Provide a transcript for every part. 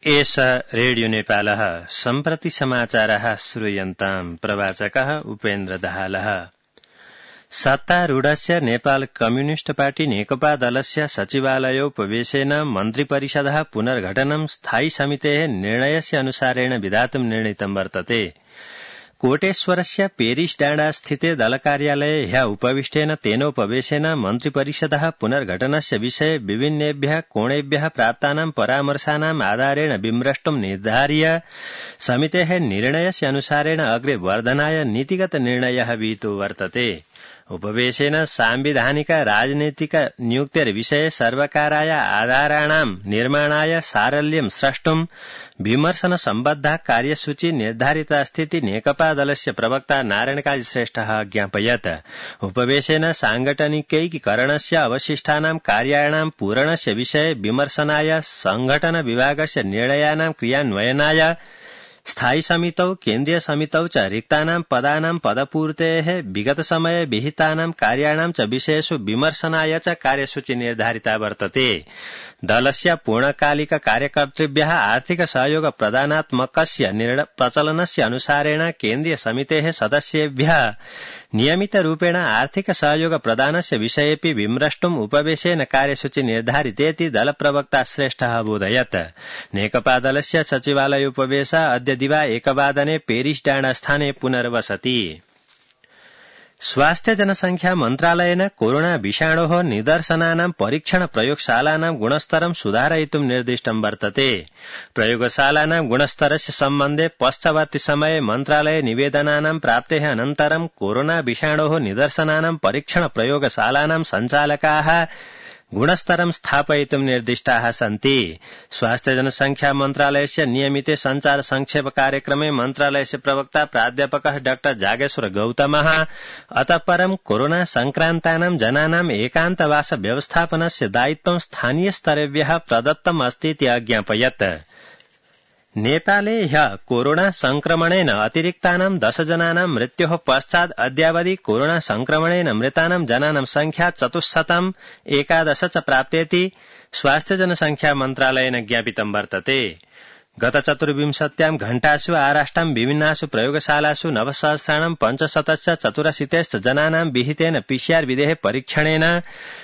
एष रेडियो नेपालः सम्प्रति समाचारः श्रूयन्ताम् प्रवाचकः उपेन्द्र दाहालः। सत्तारूढस्य नेपाल कम्युनिस्ट पार्टी नेकपा दलस्य सचिवालयोपवेशेन मन्त्रिपरिषदः पुनर्गठनं स्थायी समितेः निर्णयस्य अनुसारेण विधातुं निर्णीतं वर्तते। कोटेश्वरस्य पेरिस डाँडा स्थिते दलकार्यालये ह्यः उपविष्टेन तेनोपवेशेन मन्त्रिपरिषदः पुनर्गठनस्य विषये विभिन्नेभ्यः कोणेभ्यः प्राप्तानां परामर्शानाम् आधारेण विमृष्टुं निर्धार्य समितेः निर्णयस्य अनुसारेण अग्रे वर्धनाय नीतिगत निर्णयः विहितो वर्तते। उपवेशेन सांविधानिक राजनीतिक नियुक्तिर्विषये सर्वकाराय आधाराणां निर्माणाय सारल्यं स्रष्टुं विमर्शन सम्बद्धा कार्यसूची निर्धारिता अस्ति नेकपा दलस्य प्रवक्ता नारायण काजी श्रेष्ठः ज्ञापयत्। उपवेशेन सांगठनिकैकीकरणस्य अवशिष्टानां कार्याणां पूरणस्य विषये विमर्शनाय संघटन विभागस्य निर्णयानां क्रियान्वयनाय स्थायी समितौ केन्द्रीय समितौ च रिक्तानां पदानां पदपूर्तेः विगत समये विहितानां कार्याणां च विषयेषु विमर्शनाय च कार्यसूची निर्धारिता वर्तते। दलस्य पूर्णकालिक कार्यकर्तृभ्यः आर्थिक सहयोग प्रदानात्मकस्य प्रचलनस्य अनुसारेण केन्द्रीय समितेः सदस्येभ्यः नियमितरूपेण आर्थिक सहयोग प्रदानस्य विषयेऽपि विमृष्टुम् उपवेशेन कार्यसूची निर्धारितेति दलप्रवक्ता श्रेष्ठः अबोधयत्। नेकपा दलस्य सचिवालयोपवेशः अद्य दिवा 1 वादने पेरिस डाँडा स्थाने पुनर्वसति। स्वास्थ्य जनसंख्या मन्त्रालयेन कोरोना विषाणोः निदर्शनानां परीक्षण प्रयोगशालानां गुणस्तरं सुधारयितुं निर्दिष्टं वर्तते। प्रयोगशालानां गुणस्तरस्य सम्बन्धे पश्चवर्ति समये मन्त्रालये निवेदनानां प्राप्तेः अनन्तरं कोरोना विषाणोः निदर्शनानां परीक्षण प्रयोगशालानां सञ्चालकाः गुणस्तरं स्थापयितुं निर्दिष्टाः सन्ति। स्वास्थ्य जनसंख्या मन्त्रालयस्य नियमिते संचार संक्षेप कार्यक्रमे मन्त्रालयस्य प्रवक्ता प्राध्यापकः डॉ जागेश्वर गौतमः अतः परं कोरोना संक्रान्तानां जनानां एकान्तवास व्यवस्थापनस्य दायित्वं स्थानीय स्तरेभ्यः प्रदत्तम् अस्ति इति अज्ञापयत्। नेपाले ह्यः कोरोना संक्रमणेन अतिरिक्तानां 10 जनानां मृत्योः पश्चात् अद्यावधि कोरोना संक्रमणेन मृतानां जनानां संख्या 411 च प्राप्तेति स्वास्थ्य जनसंख्या मन्त्रालयेन ज्ञापितं वर्तते। गत 24 घण्टासु आराष्टां विभिन्नासु प्रयोगशालासु 9,584 जनानां विहितेन PCR विधेः परीक्षणेन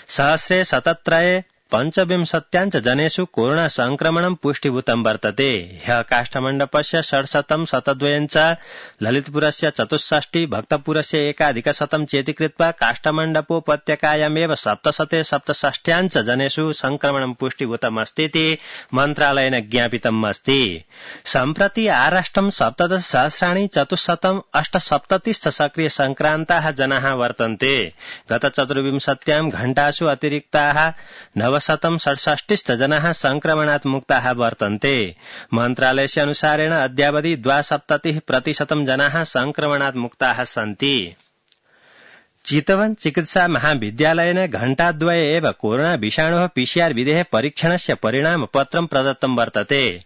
सहस्रे 17 पंचविंशत्याञ्च जनेषु कोरोना संक्रमणं पुष्टिभूतं वर्तते। ह्यः काष्ठमण्डपस्य 602 च ललितपुरस्य 64 भक्तपुरस्य 1,100 चेति कृत्वा काष्ठमण्डपोपत्यकायामेव 767 जनेषु संक्रमणं पुष्टिभूतमस्तीति मन्त्रालयेन ज्ञापितम् अस्ति। सम्प्रति आराष्ट्रं 17,478 सक्रिय संक्रान्ताः जनाः वर्तन्ते। गत 24 घण्टासु अतिरिक्ताः 967 जनाः संक्रमणात् मुक्ताः वर्तन्ते। मन्त्रालयस्य अनुसारेण अद्यावधि 72% जनाः संक्रमणात् मुक्ताः सन्ति। चितवन चिकित्सा महाविद्यालयेन घण्टाद्वये एव कोरोना विषाणोः PCR विधेः परीक्षणस्य परिणामपत्रं प्रदत्तं वर्तते।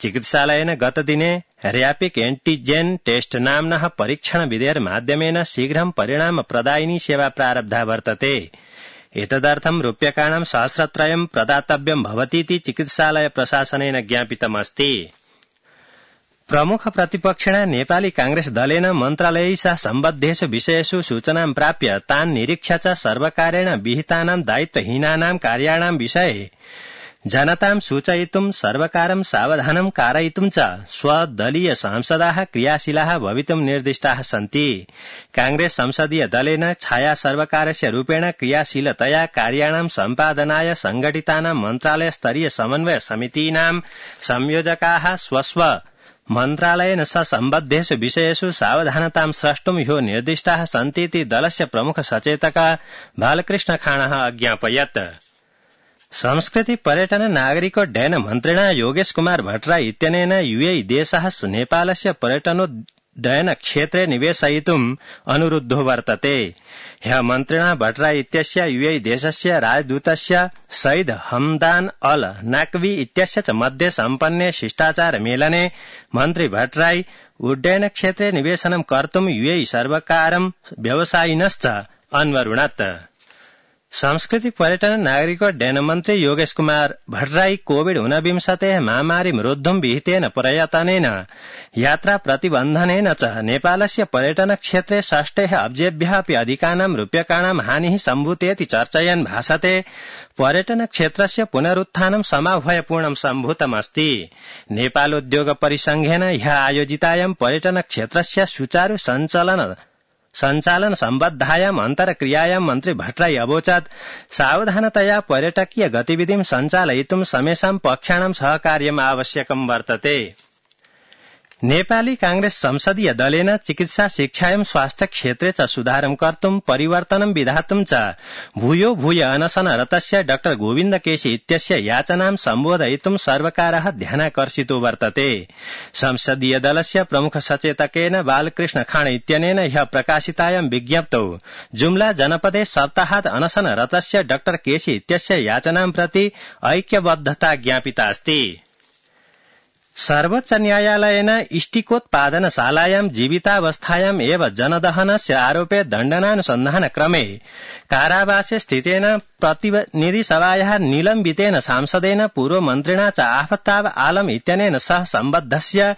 चिकित्सालयेन गतदिने रैपिड एन्टिजेन टेस्ट नाम्नः परीक्षण विधेर्माध्यमेन शीघ्रं परिणामप्रदायिनी सेवा प्रारब्धा वर्तते। एतदर्थं रूप्यकाणां 1,000 प्रदातव्यं भवतीति चिकित्सालय प्रशासनेन ज्ञापितमस्ति। प्रमुख प्रतिपक्षेण नेपाली कांग्रेस दलेन मन्त्रालयै सह सम्बद्धेषु विषयेषु सूचनां प्राप्य तान् निरीक्ष्य च सर्वकारेण विहितानां दायित्वहीनानां कार्याणां विषये जनतां सूचयितुं सर्वकारं सावधानं कारयितुं च स्वदलीय सांसदाः क्रियाशीलाः भवितुं निर्दिष्टाः सन्ति। कांग्रेस संसदीय दलेन छाया सर्वकारस्य रूपेण क्रियाशीलतया कार्याणां सम्पादनाय संघटितानां मन्त्रालय स्तरीय समन्वय समितीनां संयोजकाः स्वस्व मन्त्रालयेन सह सम्बद्धेषु विषयेषु सावधानतां स्रष्टुं ह्यो निर्दिष्टाः सन्तीति दलस्य प्रमुख सचेतक बालकृष्ण खाणः अज्ञापयत्। संस्कृति पर्यटन नागरिकोड्डयन मन्त्रिणा योगेश कुमार भट्टराई इत्यनेन UAE देशः नेपालस्य पर्यटनोड्डयन क्षेत्रे निवेशयितुम् अनुरुद्धो वर्तते। ह्यः मन्त्रिणा भट्टराई इत्यस्य UAE देशस्य राजदूतस्य सईद हमदान अल नाकवी इत्यस्य च मध्ये सम्पन्ने शिष्टाचार मेलने मन्त्री भट्टराई उड्डयन क्षेत्रे निवेशनं कर्तुम् UAE सर्वकारं व्यवसायिनश्च अन्वरुणत्। संस्कृति पर्यटन नागरिकोड्डयन मन्त्री योगेश कुमार भट्टराई कोविड 19 महामारीं रोद्धुं विहितेन प्रयत्नेन यात्रा प्रतिबन्धनेन च नेपालस्य पर्यटन क्षेत्रे 60 अब्जेभ्यः अपि अधिकानां रूप्यकाणां हानिः सम्भूतेति चर्चयन् भासते पर्यटन क्षेत्रस्य पुनरुत्थानं समाह्वयपूर्णं सम्भूतमस्ति। नेपालोद्योग परिसंघेन ह्यः आयोजितायां पर्यटन क्षेत्रस्य सुचारु सञ्चालन सम्बद्धायाम् अन्तर्क्रियायां मन्त्री भट्टराई अवोचत् सावधानतया पर्यटकीय गतिविधिं सञ्चालयितुं समेषां पक्षाणां सहकार्यम् आवश्यकं वर्तते। नेपाली कांग्रेस संसदीय दलेन चिकित्सा शिक्षायां स्वास्थ्य क्षेत्रे च सुधारं कर्तुं परिवर्तनं विधातुं च भूयो भूय अनशनरतस्य डाक्टर गोविन्द केशी इत्यस्य याचनां सम्बोधयितुं सर्वकारः ध्यानाकर्षितो वर्तते। संसदीय दलस्य प्रमुख सचेतकेन बालकृष्ण खाँड इत्यनेन ह्यः प्रकाशितायां विज्ञप्तौ जुम्ला जनपदे सप्ताहात् अनशनरतस्य डाक्टर केशी इत्यस्य याचनां प्रति ऐक्यबद्धता ज्ञापिता अस्ति। सर्वोच्च न्यायालयेन इष्टिकोत्पादनशालायां जीवितावस्थायाम् एव जनदहनस्य आरोपे दण्डनानुसन्धानक्रमे कारावासे स्थितेन प्रतिनिधिसभायाः निलम्बितेन सांसदेन पूर्वमन्त्रिणा च आफताब आलम इत्यनेन सह सम्बद्धस्य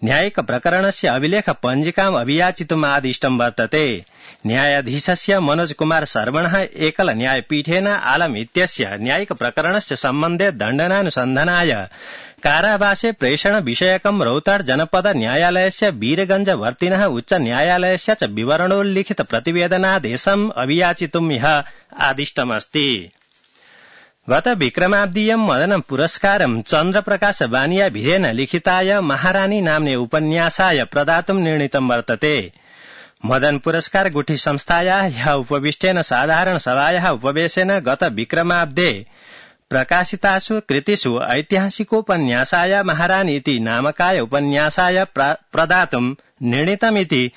न्यायिक प्रकरणस्य अभिलेख पञ्जिकाम् अभियाचितुम् आदिष्टं वर्तते। न्यायाधीशस्य मनोज कुमार शर्मणः एकल न्यायपीठेन आलम इत्यस्य न्यायिक प्रकरणस्य सम्बन्धे दण्डनानुसन्धानाय कारावासे प्रेषण विषयकं रौतहट जनपद न्यायालयस्य वीरगंज वर्तिनः उच्च न्यायालयस्य च विवरणोल्लिखित प्रतिवेदनादेशम् अभियाचितुम् ह्यः आदिष्टमस्ति। गत विक्रमाब्दीयं मदन पुरस्कारं चन्द्रप्रकाश बानिया भिरेन लिखिताय महारानी नाम्ने उपन्यासाय प्रदातुं निर्णीतं वर्तते। मदन पुरस्कार गुठी संस्थायाः ह्यः उपविष्टेन साधारण सभायाः उपवेशेन गत विक्रमाब्दे प्रकाशितासु कृतिषु ऐतिहासिकोपन्यासाय महारानी इति नामकाय उपन्यासाय प्रदातुं निर्णीतमिति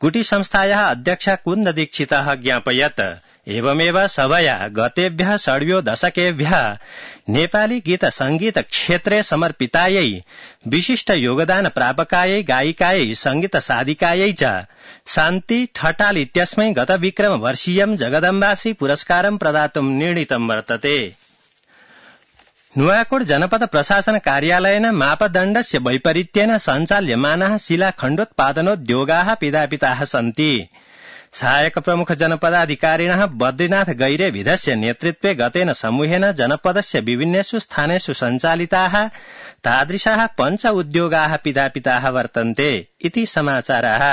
गुटी संस्थायाः अध्यक्षा कुन्द दीक्षितः ज्ञापयत्। एवमेव सभया गतेभ्यः 6 दशकेभ्यः नेपाली गीत संगीत क्षेत्रे समर्पितायै विशिष्ट योगदान प्रापकायै गायिकायै संगीत साधिकायै च शान्ति ठटाल इत्यस्मै गत विक्रम वर्षीयं जगदम्बाश्री पुरस्कारं प्रदातुं निर्णीतं वर्तते। नुवाकोट जनपद प्रशासन कार्यालयेन मापदण्डस्य वैपरीत्येन सञ्चाल्यमानाः शिलाखण्डोत्पादनोद्योगाः पिधापिताः सन्ति। सहायक प्रमुख जनपदाधिकारिणः बद्रीनाथ गैरे विधस्य नेतृत्वे गतेन समूहेन जनपदस्य विभिन्नेषु स्थानेषु सञ्चालिताः तादृशाः 5 उद्योगाः पिधापिताः वर्तन्ते इति समाचाराः।